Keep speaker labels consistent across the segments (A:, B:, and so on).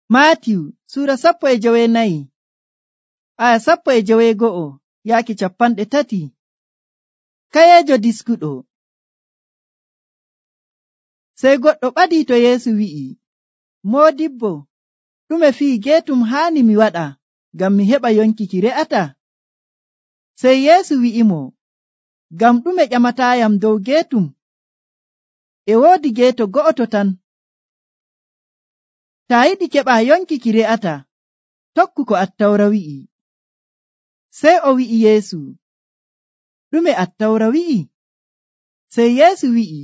A: Maatiyu sura 14 aya 12 yaaki 30. Kayeejo diskuɗo. Sey goɗɗo ɓadii to Yeesu wi'i, Moodibbo, ɗume fii geetum haani mi waɗa ngam mi heɓa yonki ki re'ata? Sey Yeesu wi'imo, ngam ɗume ƴamataayam dow geetum? E woodi geeto go'oto tan. Taa yiɗi keɓa yonki ki re'ata, tokku ko Attawra wi'i. Sey o wi'i Yeesu, ɗume Attawra wi'i? Sey Yeesu wi'i,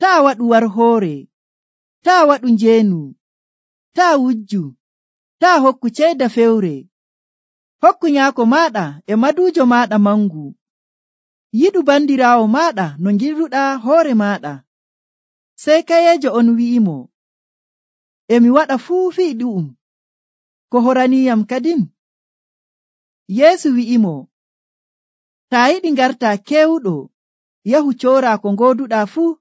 A: taa waɗu warhoore, taa waɗu njeenu, taa wujju, taa hokku ceyda fewre, hokku nyaako maaɗa e maduujo maaɗa mangu, yiɗu bandiraawo maaɗa no ngirruɗaa hoore maaɗa. Sey kayeejo on wi'imo, emi waɗa fuu fii ɗu'um, ko horaniiyam kadin? Yeesu wi'imo, taa yiɗi ngartaa keewuɗo, yahu cooraa ko ngooduɗaa fuu,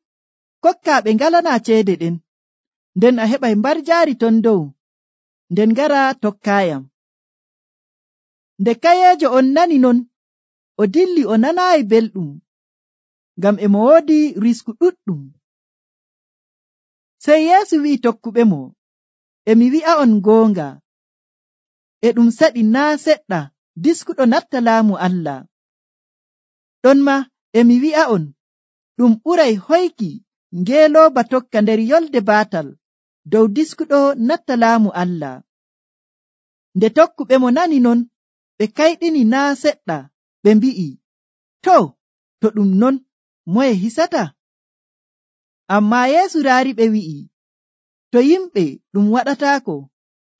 A: kokkaa ɓe ngalanaa ceede ɗen, nden a heɓay mbarjaari ton dow, nden ngara tokkaayam. Nde kayeejo on nani non, o dilli o nanaayi belɗum, ngam emo woodi risku ɗuɗɗum. Sey Yeesu wi'i tokkuɓemo, emi wi'a'on goonga, e ɗum saɗi naa seɗɗa diskuɗo natta laamu Allah. Ɗonmaa emi wi'a'on, ɗum ɓuray hoyki ngeelooba tokka nder yolde baatal dow diskuɗo natta laamu Allah. Nde tokkuɓemo nani non, ɓe kayɗini naa seɗɗa, ɓe mbi'i, to ɗum non, moye hisata? Ammaa Yeesu raariɓe wi'i, to yimɓe ɗum waɗataako,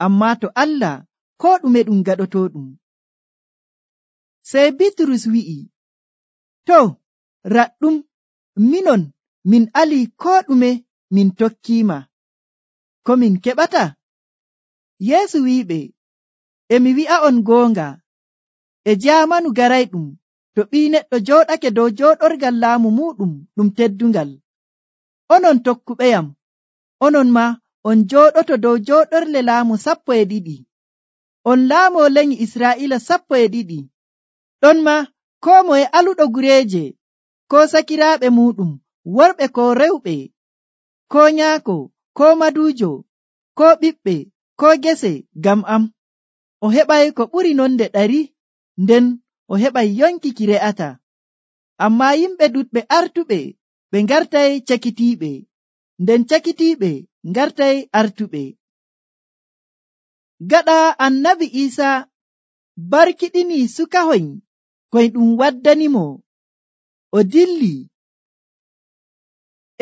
A: ammaa to Allah koo ɗume ɗum gaɗotooɗum. Sey Bitrus wi'i, to raɗɗum, minon min alii koo ɗume min tokkiima, ko min keɓata? Yeesu wi'iɓe, emi wi'a'on goonga, e jaamanu garayɗum to Ɓii Neɗɗo jooɗake dow jooɗorgal laamu muuɗum ɗum teddungal. Onon tokkuɓeyam, onon maa on jooɗoto dow jooɗorle laamu 12. On laamoo lenyi Israa'iila 12. Ɗonmaa koo moye aluɗo gureeje, koo sakiraaɓe muuɗum, worɓe koo rewɓe, koo nyaako, koo maduujo, koo ɓiɓɓe, koo gese ngam am, o heɓay ko ɓuri nonde 100, nden o heɓay yonki ki re'ata. Ammaa yimɓe ɗuɗɓe artuɓe ɓe ngartay cakitiiɓe, nden cakitiiɓe ngartay artuɓe. Gaɗa Annabi Iisaa barkiɗinii sukahoy koy ɗum waddanimo, o dilli.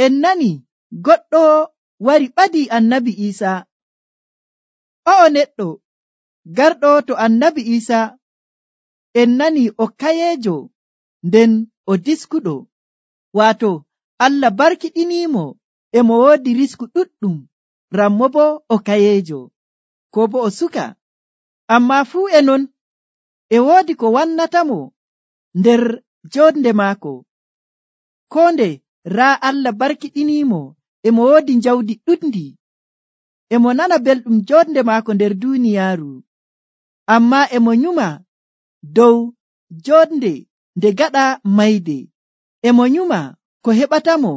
A: En nani goɗɗo wari ɓadii Annabi Iisaa. O'o neɗɗo garɗo to Annabi Iisaa, en nani o kayeejo, nden o diskuɗo, waato Allah barkiɗiniimo emo woodi risku ɗuɗɗum, rammo bo o kayeejo, ko bo o suka. Ammaa fuu e non, e woodi ko wannatamo nder jonde maako. Koo nde raa Allah barkiɗiniimo emo woodi njawdi ɗuɗndi, emo nana belɗum jonde maako nder duuniyaaru. Ammaa emo nyuma dow jonde nde gaɗa mayde, emo nyuma ko heɓatamo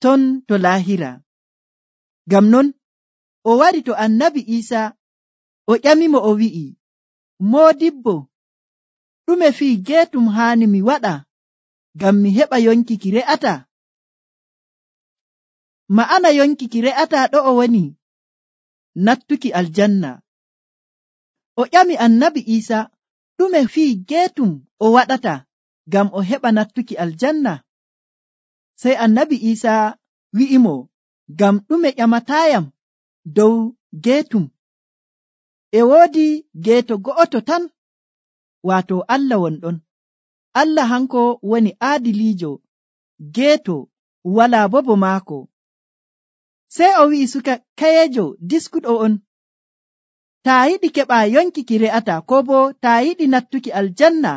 A: ton to laahira. Ngam non o wari to Annabi Iisaa, o ƴamimo o wi'i, Moodibbo, ɗume fii geetum haani mi waɗa ngam mi heɓa yonki ki re'ata? Ma'ana yonki ki re'ata ɗo'o woni nattuki aljanna. O ƴami Annabi Iisaa, ɗume fii geetum o waɗata ngam o heɓa nattuki aljanna? Sey Annabi Iisaa wi'imo, ngam ɗume ƴamataayam dow geetum? E woodi geeto go'oto tan, waato Allah wonɗon. Allah hanko woni aadiliijo, geeto walaa bo bo maako. Sey o wi'i suka kayeejo diskuɗo on, taa yiɗi keɓa yonki ki re'ata, ko bo taa yiɗi nattuki aljanna,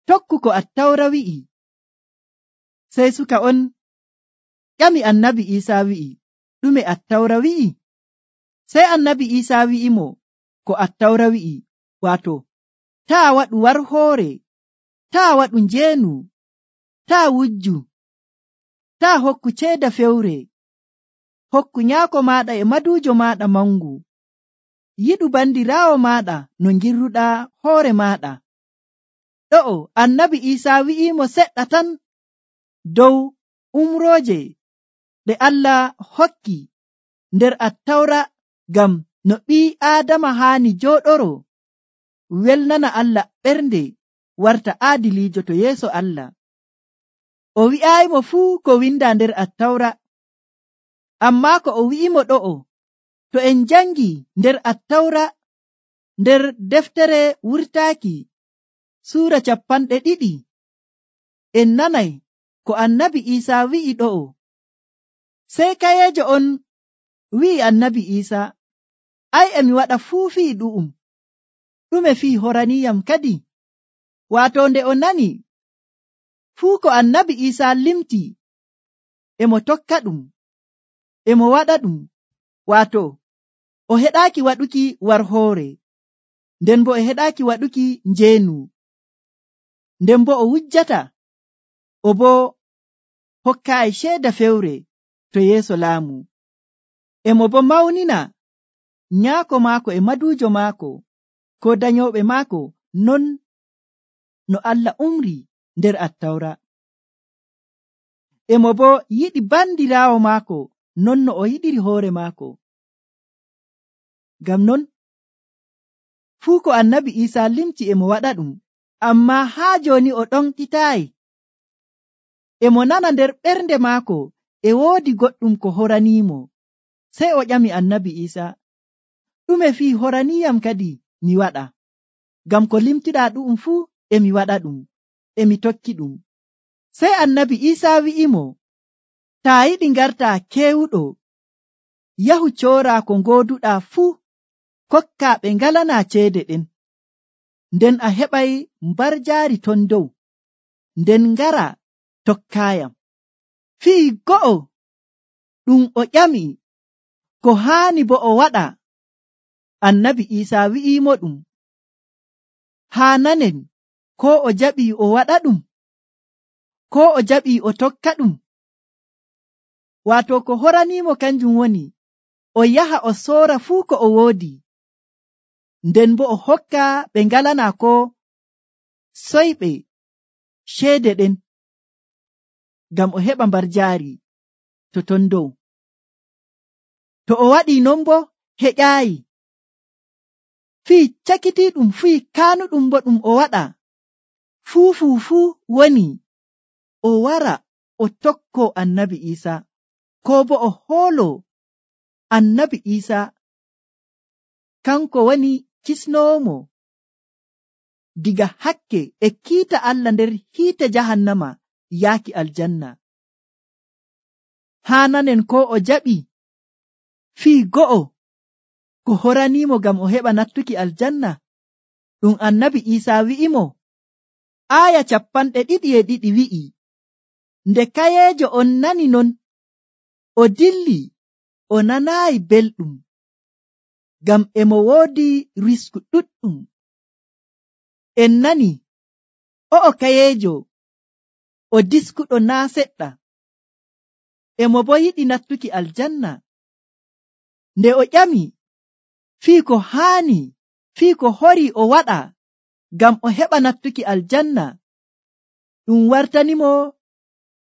A: tokku ko Attawra wi'i. Sey suka on ƴami Annabi Iisaa wi'i, ɗume Attawra wi'i? Sey annabi Iisaa wi'imo ko Attawra wi'i, waato, taa waɗu warhoore, taa waɗu njeenu, taa wujju, taa hokku ceeda fewre, hokku nyaako maaɗa e maduujo maaɗa mangu, yiɗu bandiraawo maaɗa no ngirruɗaa hoore maaɗa. Ɗo'o annabi Iisaa wi'iimo seɗɗa tan dow umrooje ɗe Allah hokki nder Attawra ngam no ɓii Aadama haani jooɗoro welnana Allah ɓernde warta aadiliijo to yeeso Allah. O wi'aayimo fuu ko windaa nder Attawra, ammaa ko o wi'imo ɗo'o, to en jangi nder Attawra nder deftere wurtaaki suura 20 en nanay ko annabi Iisaa wi'i ɗo'o. Sey kayeejo on wi'i annabi Iisaa, ai emi waɗa fuu fii ɗu'um, ɗume fii horaniyam kadi? Waato nde o nani fuu ko annabi Iisaa limti emo tokka ɗum, emo waɗa ɗum, waato o heɗaaki waɗuki warhoore, nden bo o heɗaaki waɗuki njeenu, nden bo o wujjata, o bo hokkaayi ceeda fewre to yeeso laamu, emo bo mawnina nyaako maako e maduujo maako ko danyooɓe maako non no Allah umri nder Attawra. Emo bo yiɗi bandiraawo maako non no o yiɗiri hoore maako. Ngam non fuu ko annabi Iisaa limti emo waɗa ɗum, ammaa haa jooni o ɗonɗitaayi. Emo nana nder ɓernde maako e woodi goɗɗum ko horaniimo. Sey o ƴami annabi Iisaa, ɗume fii horaniyam kadi mi waɗa? Ngam ko limtiɗaa ɗu'um fuu emi waɗa ɗum, emi tokki ɗum. Sey annabi Iisaa wi'imo, taa yiɗi ngartaa keewuɗo, yahu cooraa ko ngooduɗaa fuu, kokkaa ɓe ngalanaa ceede ɗen, nden a heɓay mbarjaari ton dow, nden ngara tokkaayam. Fii go'o ɗum o ƴami ko haani bo o waɗa, annabi Iisaa wi'iimo ɗum, haa nanen ko o jaɓii o waɗa ɗum, ko o jaɓii o tokka ɗum. Waato ko horaniimo kanjum woni o yaha o soora fuu ko o woodi, nden bo o hokka ɓe ngalanaa ko soyɓe ceede ɗen, ngam o heɓa mbarjaari to ton dow. To o waɗii non bo heƴaayi, fii cakitiiɗum fii kaanuɗum bo ɗum o waɗa fuu woni o wara o tokko annabi Iisaa, ko bo o hoolo annabi Iisaa kanko woni kisnoomo diga hakke e kiita Allah nder hiite jahannama yaaki aljanna. Haa nanen ko o jaɓi fii go'o ko horaniimo ngam o heɓa nattuki aljanna, ɗum annabi Iisaa wi'imo. Aaya 22 wi'i, nde kayeejo on nani non, o dilli o nanaayi belɗum, ngam emo woodi risku ɗuɗɗum. En nani o'o kayeejo o diskuɗo naa seɗɗa, emo bo yiɗi nattuki aljanna. Nde o ƴami fii ko haani, fii ko horii o waɗa ngam o heɓa nattuki aljanna, ɗum wartanimo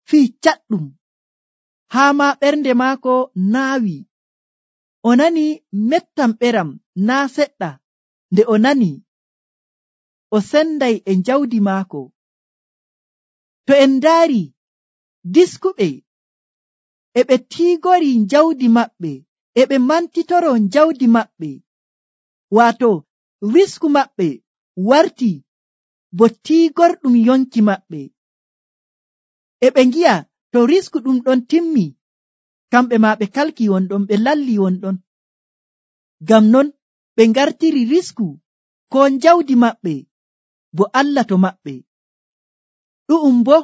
A: fii caɗɗum, haa ma ɓernde maako naawi. O nani mettam ɓeram naa seɗɗa. Nde o nani, o senday e jawdi maako. To en ndaari diskuɓe e ɓe tiigori jawdi maɓɓe, e ɓe mantitoro jawdi maɓɓe, waato risku maɓɓe warti bo tiigorɗum yonki maɓɓe. E ɓe ngi'a to risku ɗum ɗon timmi, kamɓe ma ɓe kalki wonɗon, ɓe lalli wonɗon. Ngam non ɓe ngartiri risku ko jawdi maɓɓe bo Allah to maɓɓe. Ɗu'um bo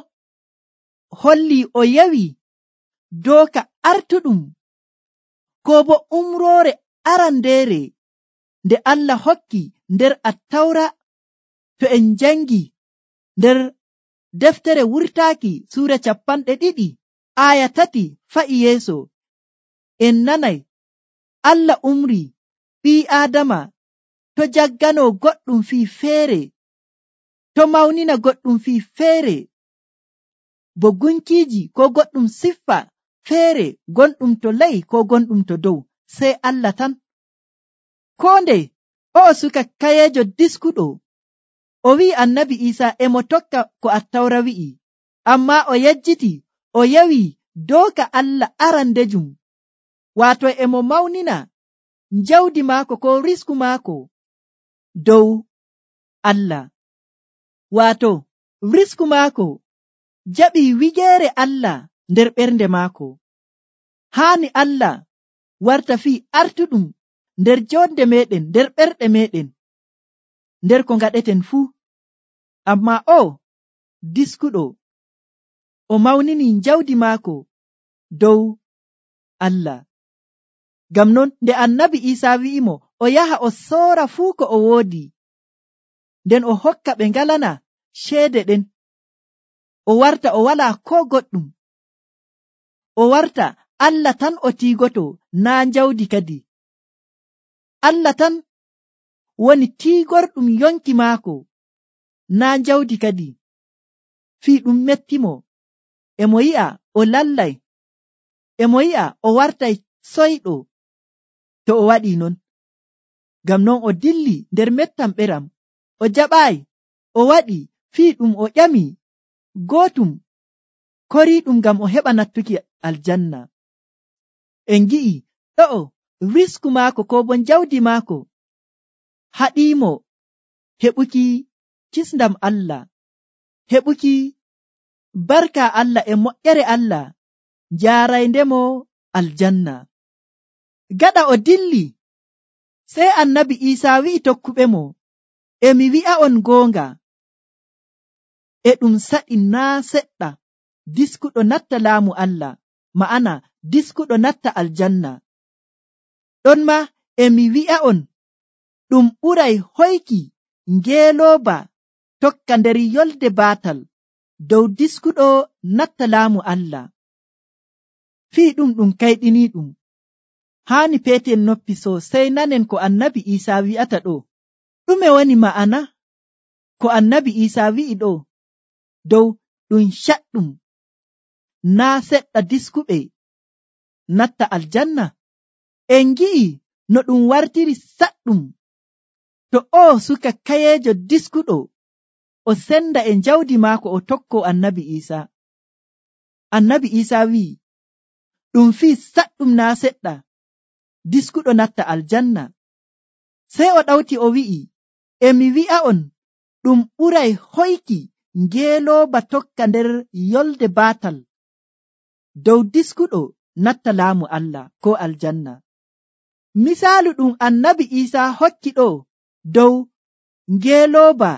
A: holli o yawi dooka artuɗum ko bo umroore arandeere nde Allah hokki nder Attawra. To en jangi nder deftere wurtaaki suura 2 aya 3 fa'i yeeso, en nanay Allah umri ɓii Aadama to jaggano goɗɗum fii feere, to mawnina goɗɗum fii feere, bo gunkiiji ko goɗɗum siffa feere gonɗum to ley ko gonɗum to dow, sey Allah tan. Koo nde o'o suka kayeejo diskuɗo o wi'i annabi Iisaa emo tokka ko Attawra wi'i, ammaa o yejjiti o yewi dooka Allah arandejum, waato emo mawnina jawdi maako ko risku maako dow Allah. Waato risku maako jaɓi wigeere Allah nder ɓernde maako. Haani Allah warta fii artuɗum nder jonde meɗen, nder ɓerɗe meɗen, nder ko ngaɗeten fuu. Ammaa o diskuɗo o mawnini jawdi maako dow Allah. Ngam non nde annabi Iisaa wi'imo o yaha o soora fuu ko o woodi, nden o hokka ɓe ngalana ceede ɗen, o warta o walaa ko goɗɗum, o warta Allah tan o tiigoto, naa jawdi kadi. Allah tan woni tiigorɗum yonki maako, naa jawdi kadi. Fii ɗum mettimo, emo yi'a o lallay, emo yi'a o wartay soyɗo to o waɗii non. Ngam non o dilli nder mettam ɓeram, o jaɓaayi, o waɗi fii ɗum o ƴami gootum koriiɗum ngam o heɓa nattuki aljanna. En gi'i ɗo'o risku maako ko bo jawdi maako haɗiimo heɓuki kisndam Allah, heɓuki barka Allah e moƴƴere Allah njaarayndemo aljanna. Gaɗa o dilli, sey annabi Iisaa wi'i tokkuɓe mo, emi wi'a'on goonga, e ɗum saɗi naa seɗɗa diskuɗo natta laamu Allah, ma'ana diskuɗo natta aljanna. Ɗon ma emi wi'a'on ɗum ɓuray hoyki ngeelooba tokka nder yolde baatal dow diskuɗo natta laamu Allah. Fii ɗum kayɗiniiɗum. Haani peeten noppi sosai nanen ko annabi Iisaa wi'ata ɗo. Ɗume woni ma'ana ko annabi Iisaa wi'i ɗo dow ɗum caɗɗum naa seɗɗa diskuɓe natta aljanna? En gi'i no ɗum wartiri saɗɗum to o suka kayeejo diskuɗo o senda e jawdi maako o tokko annabi Iisaa. Annabi Iisaa wi'i ɗum fii saɗɗum naa seɗɗa diskuɗo natta aljanna. Sey o ɗawti o wi'i, emi wi'a'on ɗum ɓuray hoyki ngeelooba tokka nder yolde baatal dow diskuɗo natta laamu Allah ko aljanna. Misaalu ɗum annabi Iisaa hokki ɗo dow ngeelooba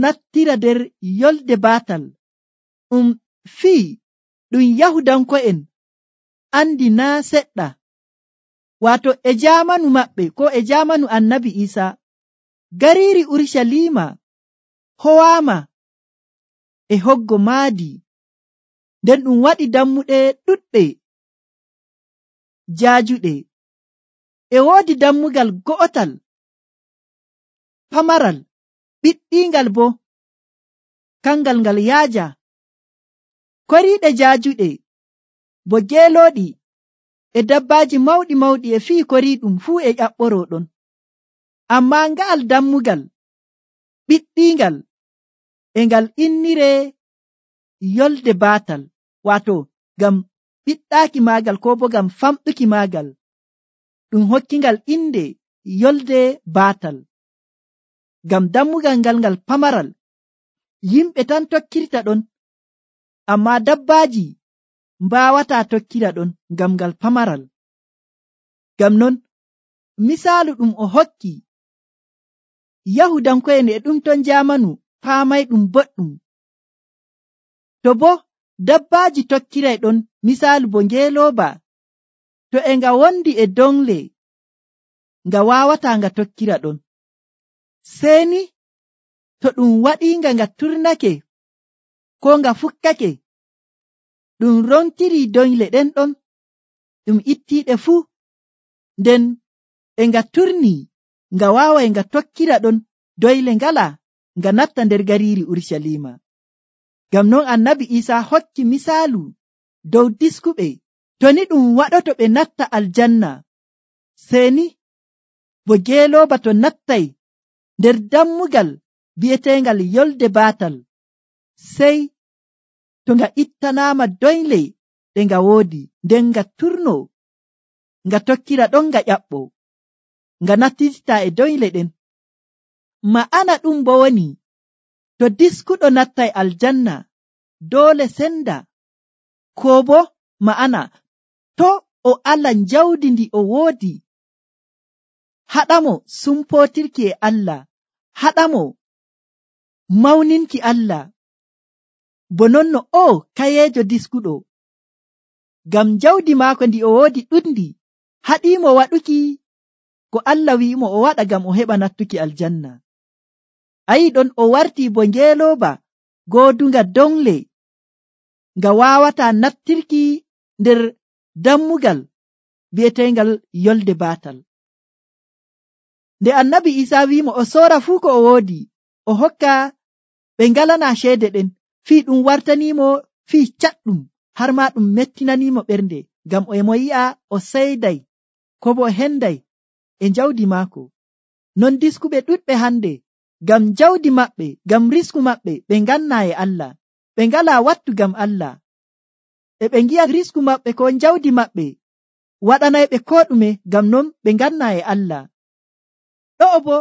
A: nattira nder yolde baatal fii ɗum Yahudanko'en andi naa seɗɗa. Waato e jaamanu maɓɓe ko e jaamanu annabi Iisaa, gariiri Urshalima howaama e hoggo maadi, nden ɗum waɗi dammuɗe ɗuɗɗe jaajuɗe. E woodi dammugal go'otal pamaral ɓiɗɗingal bo kangal ngal yaaja. Koriiɗe jaajuɗe bo geelooɗi e dabbaaji mawɗi mawɗi e fii koriiɗum fuu e ƴaɓɓoroo ɗon. Ammaa nga'al dammugal ɓiɗɗingal e ngal inniree yolde baatal, waato ngam ɓiɗɗaaki maagal ko bo ngam famɗuki maagal ɗum hokkingal inde yolde baatal. Ngam dammugal ngal pamaral yimɓe tan tokkirta ɗon, ammaa dabbaaji mbaawataa tokkira ɗon ngam ngal pamaral. Ngam non misaalu ɗum o hokki Yahudanko'en e ɗum ton jaamanu paamay ɗum boɗɗum. To bo dabbaaji tokkiray ɗon, misaalu bo ngeelooba to e nga wondi e dongle nga wawata nga tokkira ɗon. Seni to ɗum waɗinga nga turnake ko nga fukkake, ɗum rontiri doyle ɗen ɗon, ɗum ittiɗe fuu, nden e nga turni nga wawai nga tokkira ɗon doyle ngala nga natta nder gariiri Urshalima. Ngam non annabi Isa hokki misaalu dow diskuɓe, to ni ɗum waɗoto ɓe natta aljanna, seni bo geelooba to nattay nder dammugal bi'etengal yolde baatal, sey to nga ittanaama doyle ɗe nga woodi, nden nga turno nga tokkira ɗon nga ƴaɓɓo, nga nattita e doyle ɗen. Ma'ana ɗum bo woni, to diskuɗo nattay aljanna doole senda, ko bo ma'ana to o ala njawdi ndi o woodi haɗamo sumpotirki e Allah, haɗamo mawninki Allah, bo nonno o kayejo diskuɗo, ngam njawdi maako ndi o woodi ɗuɗndi haɗimo waɗuki ko Allah wi'imo o waɗa ngam o heɓa nattuki aljanna. Ayi ɗon o warti bo ngeelooba goodunga dongle nga wawata nattirki nder dammugal bi'etengal yolde baatal. Nde annabi Isa wi'imo o soora fuu ko o woodi, o hokka ɓe ngalana ceede ɗen, fii ɗum wartanimo fii caɗɗum, har ma ɗum mettinanimo ɓernde, ngam emo yi'a o seyday ko bo o henday e njawdi maako. Non diskuɓe ɗuɗɓe hande, ngam njawdi maɓɓe, ngam risku maɓɓe, ɓe nganna e Allah, ɓe ngala wattu ngam Allah, e ɓe ngi'a risku maɓɓe ko njawdi maɓɓe waɗanayɓe ko ɗume, ngam non ɓe nganna e Allah. Ɗo'o bo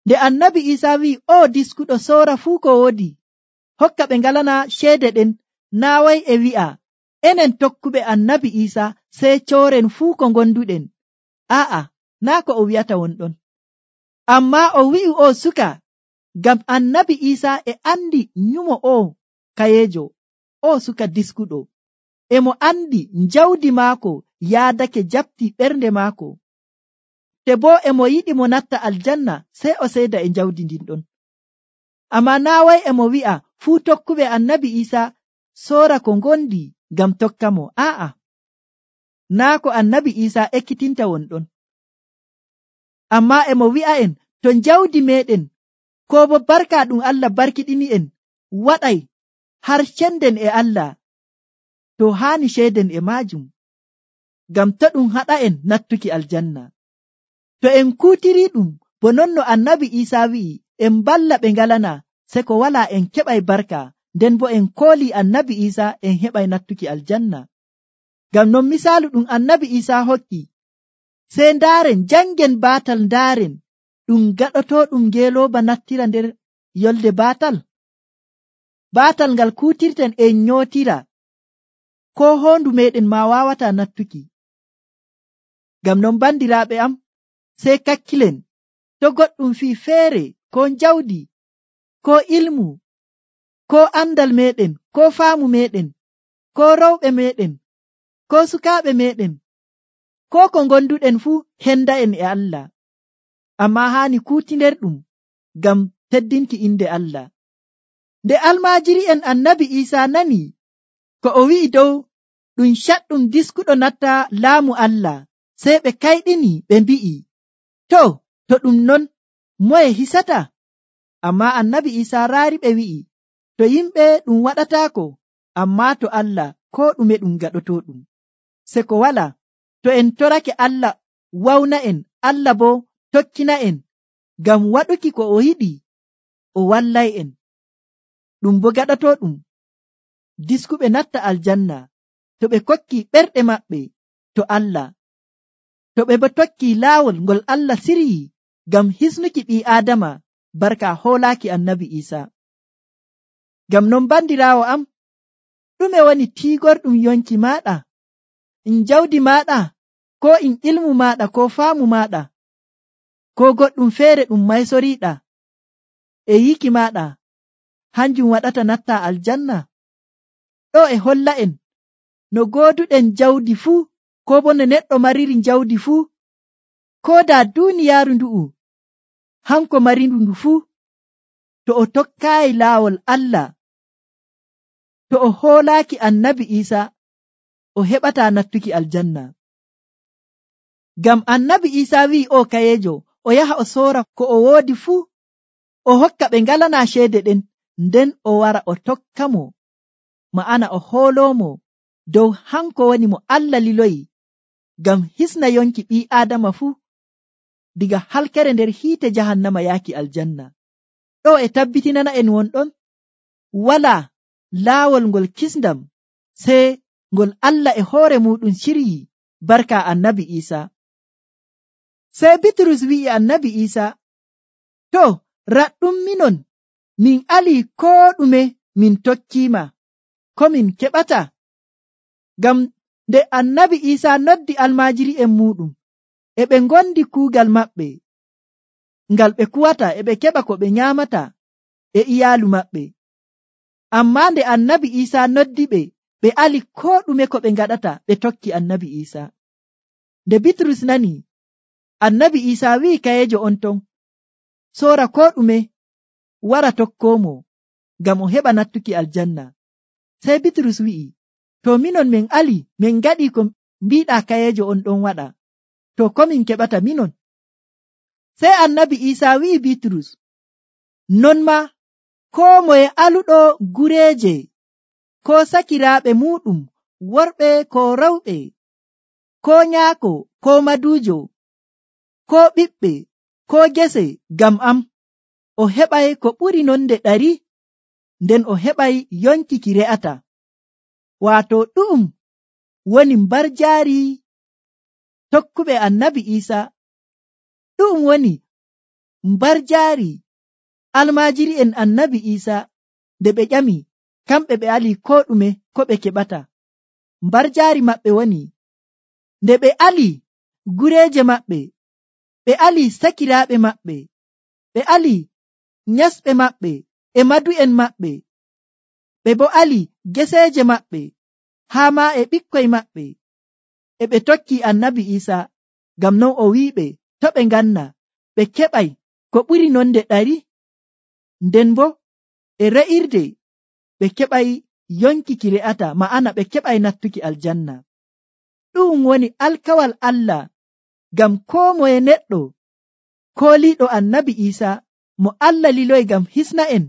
A: nde annabi Isa wi'i o diskuɗo soora fuu ko woodi, hokka ɓe ngalana ceede ɗen, naaway e wi'a enen tokkuɓe annabi Isa sey cooren fuu ko gonduɗen. Aa'a, naa ko o wi'ata wonɗon, amma o wi'i o suka ngam annabi Isa e andi nyumo o kayejo, o suka diskuɗo, emo andi njawdi maako yaadake jabti ɓernde maako, te bo emo yiɗi mo natta aljanna, sey o seeda e njawdi ndin ɗon. Amma naaway emo wi'a fuu tokkuɓe annabi Isa soora ko ngondi ngam tokka mo. Aa'a, naa ko annabi Isa ekkitinta wonɗon, amma emo wi'a en to njawdi meɗen ko bo barka ɗum Allah barkiɗini en waɗay har cenden e Allah, to haani ceeden e maajum, ngam to ɗum haɗa en nattuki aljanna. To en kuutiri ɗum bo non no annabi Isa wi'i, en balla ɓe ngalana, se ko wala en keɓay barka, nden bo en kooli annabi Isa en heɓay nattuki aljanna. Ngam non misaalu ɗum annabi Isa hokki, sey ndaaren jangen baatal, ndaaren ɗum gaɗoto ɗum ngeelooba nattira nder yolde baatal, baatal ngal kuutirten en nyootira, ko hoondu meɗen ma wawata nattuki. Ngam non bandiraaɓe am, sey kakkilen, to goɗɗum fii feere, ko njawdi, ko ilmu, ko andal meɗen, ko faamu meɗen, ko rewɓe meɗen, ko sukaaɓe meɗen, ko ko gonduɗen fuu henda en e Allah, amma haani kuutinder ɗum ngam teddinki inde Allah. Nde almaajiri en annabi Isa nani ko o wi'i dow ɗum caɗɗum diskuɗo natta laamu Allah, sey ɓe kayɗini ɓe mbi'i, to ɗum non moye hisata? Amma annabi Isa raari ɓe wi'i, to yimɓe ɗum waɗataako, amma to Allah ko ɗume ɗum gaɗoto ɗum. Se ko wala, to en torake Allah wawna en, Allah bo tokkina en ngam waɗuki ko o yiɗi, o wallay en. Ɗum bo gaɗoto ɗum diskuɓe natta aljanna to ɓe kokki ɓerɗe maɓɓe to Allah, to ɓe bo tokki laawol ngol Allah siryi ngam hisnuki ɓii Aadama barka hoolaaki annabi Isa. Ngam non bandiraawo am, ɗume woni tiigorɗum yonki maɗa, in jawdi maɗa, ko in ilmu maɗa, ko faamu maɗa, ko goɗɗum feere ɗum maysoriɗa e yiki maɗa, hanjum waɗata natta aljanna? Ɗo e holla en no gooduɗen jawdi fuu, ko bo no neɗɗo mariri jawdi fuu, ko da duniyaaru ndu'u hanko marindu ndu fuu, to o tokkaayi laawol Allah, to o hoolaaki annabi Iisa, o heɓataa nattuki aljanna. Ngam annabi Iisa wi'i o kayeejo o yaha o soora ko o woodi fuu, o hokka ɓe ngalanaa ceede ɗen, nden o wara o tokka mo, ma'ana o hooloomo dow hanko woni mo Allah liloyi ngam hisna yonki ɓii Aadama fuu diga halkere nder hiite jahannama yaaki aljanna. Ɗo e tabbitinana en wonɗon walaa laawol ngol kisndam sey ngol Allah e hoore muɗum ciryi barka annabi Iisa. Sey Bitrus wi'i annabi Iisa, to raɗɗum minon min alii koo ɗume min tokkiima, ko min keɓata? Ngam nde annabi Iisa noddi almaajiri'en muɗum, e ɓe ngondi kuugal maɓɓe ngal ɓe kuwata, e ɓe keɓa ko ɓe nyaamata e iyaalu maɓɓe. Ammaa nde annabi Iisa noddi ɓe, ɓe ali koo ɗume ko ɓe ngaɗata, ɓe tokki annabi Iisa. Nde Bitrus nani, annabi Iisa wi'i kayeejo on ton, soora koo ɗume wara tokkoomo ngam o heɓa nattuki aljanna. Sey Bitrus wi'i, to minon min ali min ngaɗi ko mbiɗaa kayeejo on ɗon waɗa, to ko min keɓata minon? Sey annabi Iisa wi'i Bitrus, non ma koo moye aluɗo gureeje, ko sakiraaɓe muɗum, worɓe ko rewɓe, ko nyaako ko maduujo, ko ɓiɓɓe ko gese ngam am, o heɓay ko ɓuri nonde 100, nden o heɓay yonki ki re'ata. Waato ɗu'um woni mbarjaari tokkuɓe annabi Iisa, ɗu'um woni mbarjaari almaajiri'en annabi Iisa nde ɓe ƴami kamɓe ɓe ali koo ɗume ko ɓe keɓata. Mbarjaari maɓɓe woni nde ɓe ali gureeje maɓɓe, ɓe ali sakiraaɓe maɓɓe, ɓe ali nyasɓe maɓɓe e madu'en maɓɓe, ɓe bo ali geseeje maɓɓe haa ma e ɓikkoy maɓɓe, e ɓe tokki annabi Iisa. Ngam non o wi'iɓe to ɓe nganna ɓe keɓay ko ɓuri nonde 100, nden bo e re'irde ɓe keɓay yonki ki re'ata, ma'ana ɓe keɓay nattuki aljanna. Ɗum woni alkawal Allah ngam koo moye neɗɗo kooliiɗo annabi Iisa mo Allah liloyi ngam hisna en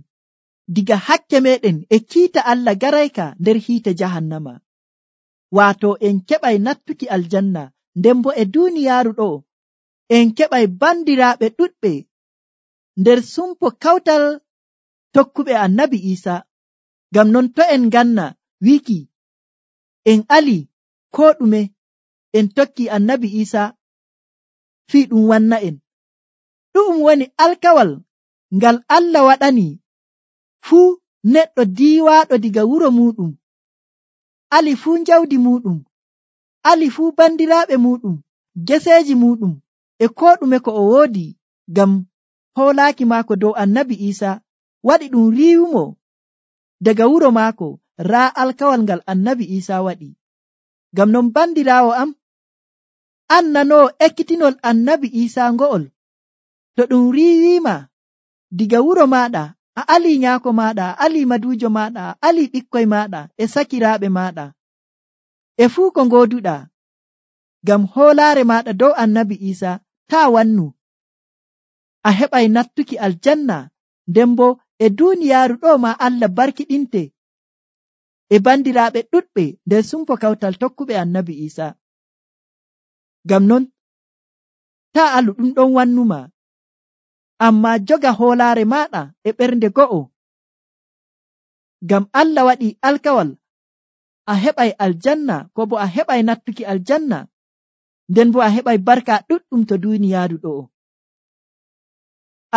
A: diga hakke meɗen e kiita Allah garayka nder hiite jahannama. Waato en keɓay nattuki aljanna, nden bo e duuniyaaru ɗo en keɓay bandiraaɓe ɗuɗɓe nder sumpo kawtal tokkuɓe annabi Iisa. Ngam non to en ganna wiki en ali koo ɗume en tokki annabi Iisa, fii ɗum wanna en. Ɗum woni alkawal ngal Allah waɗani fuu neɗɗo diiwaaɗo diga wuro muɗum, ali fuu jawdi muɗum, ali fuu bandiraaɓe muɗum, geseeji muɗum, e koo ɗume ko o woodi, ngam hoolaaki maako dow annabi Iisa waɗi ɗum riiwumo daga wuro maako raa alkawal ngal annabi Iisa waɗi. Ngam non bandiraawo am, an nanoo ekkitinol annabi Iisa ngo'ol, to ɗum riiwiima diga wuro maaɗa, a ali nyaako maaɗa, a ali maduujo maaɗa, a ali ɓikkoy maaɗa e sakiraaɓe maaɗa e fuu ko ngooduɗaa, ngam hoolaare maaɗa dow annabi Iisa, taa wannu, a heɓay nattuki aljanna, nden bo e duuniyaaru ɗo ma Allah barkiɗinte e bandiraaɓe ɗuɗɓe nder sumpo kawtal tokkuɓe annabi Iisa. Ngam non taa alu ɗum ɗon wannuma, amma joga hoolaare maaɗa e ɓernde go'o, ngam Allah waɗi alkawal a heɓay aljanna, ko bo a heɓay nattuki aljanna, nden bo a heɓay barka ɗuɗɗum to duuniyaaru ɗo.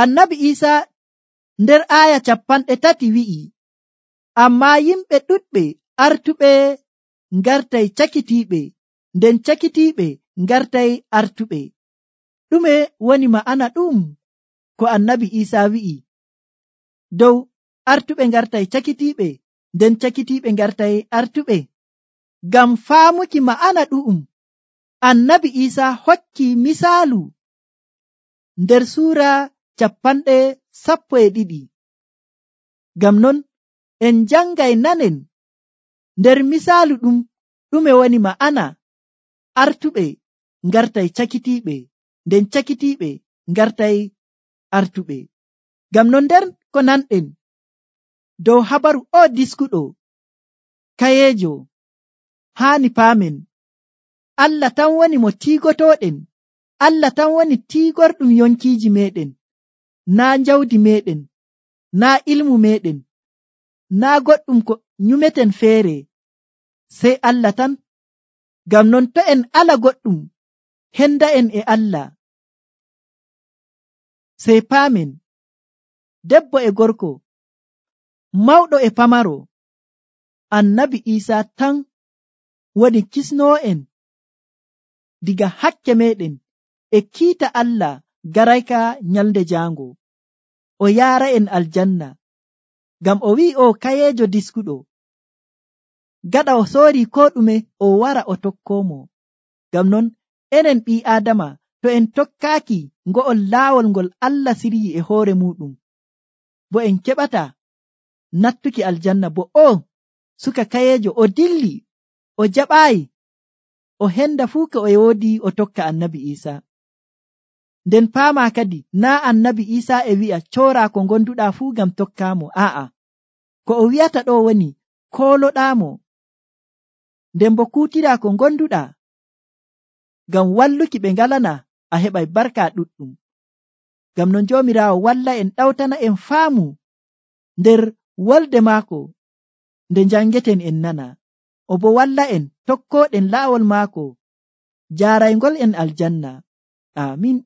A: Annabi Iisa nder aaya 30 wi'i, ammaa yimɓe ɗuɗɓe artuɓe ngartay cakitiiɓe, nden cakitiiɓe ngartay artuɓe. Ɗume woni ma'ana ɗum ko annabi Iisa wi'i dow artuɓe ngartay cakitiiɓe, nden cakitiiɓe ngartay artuɓe? Ngam faamuki ma'ana ɗu'um, annabi Iisa hokki misaalu nder suura 12. Ngam non en jangay nanen nder misaalu ɗume woni ma'ana artuɓe ngartay cakitiiɓe, nden cakitiiɓe ngartay artuɓe. Ngam non nder ko nanɗen dow habaru o diskuɗo kayeejo haani paamen Allah tan woni mo tiigotoɗen, Allah tan woni tiigorɗum yonkiiji meɗen, naa jawdi meɗen, naa ilmu meɗen, naa goɗɗum ko nyumeten feere, sey Allah tan. Ngam non to en ala goɗɗum henda'en e Allah, sey paamen debbo e gorko, mawɗo e pamaro, annabi Iisaa tan woni kisnoo'en diga hakke meɗen e kiita Allah garayka nyalnde jaango, o yaara'en aljanna. Ngam o wi'i o kayeejo diskuɗo, gaɗa o soori ko ɗume o wara o tokkoomo. Ngam non enen ɓii Aadama, to en tokkaaki ngo'ol laawol ngol Allah siryi e hoore muɗum, bo en keɓata nattuki aljanna. Bo o suka kayeejo o dilli, o jaɓaayi, o henda fuu ko o woodi o tokka annabi Iisaa. Nden paama kadi naa annabi Iisaa e wi'a coora ko gonduɗaa fuu ngam tokkaamo. Ko o wi'ata ɗo woni kooloɗaamo, nden bo kuutiraa ko gonduɗaa ngam walluki ɓe ngalana, a heɓay barka ɗuɗɗum. Ngam non Joomiraawo walla en ɗawtana en faamu nder wolde maako nde jangeten en nana, o bo walla en tokkoɗen laawol maako jaaraygol en aljanna. Amin.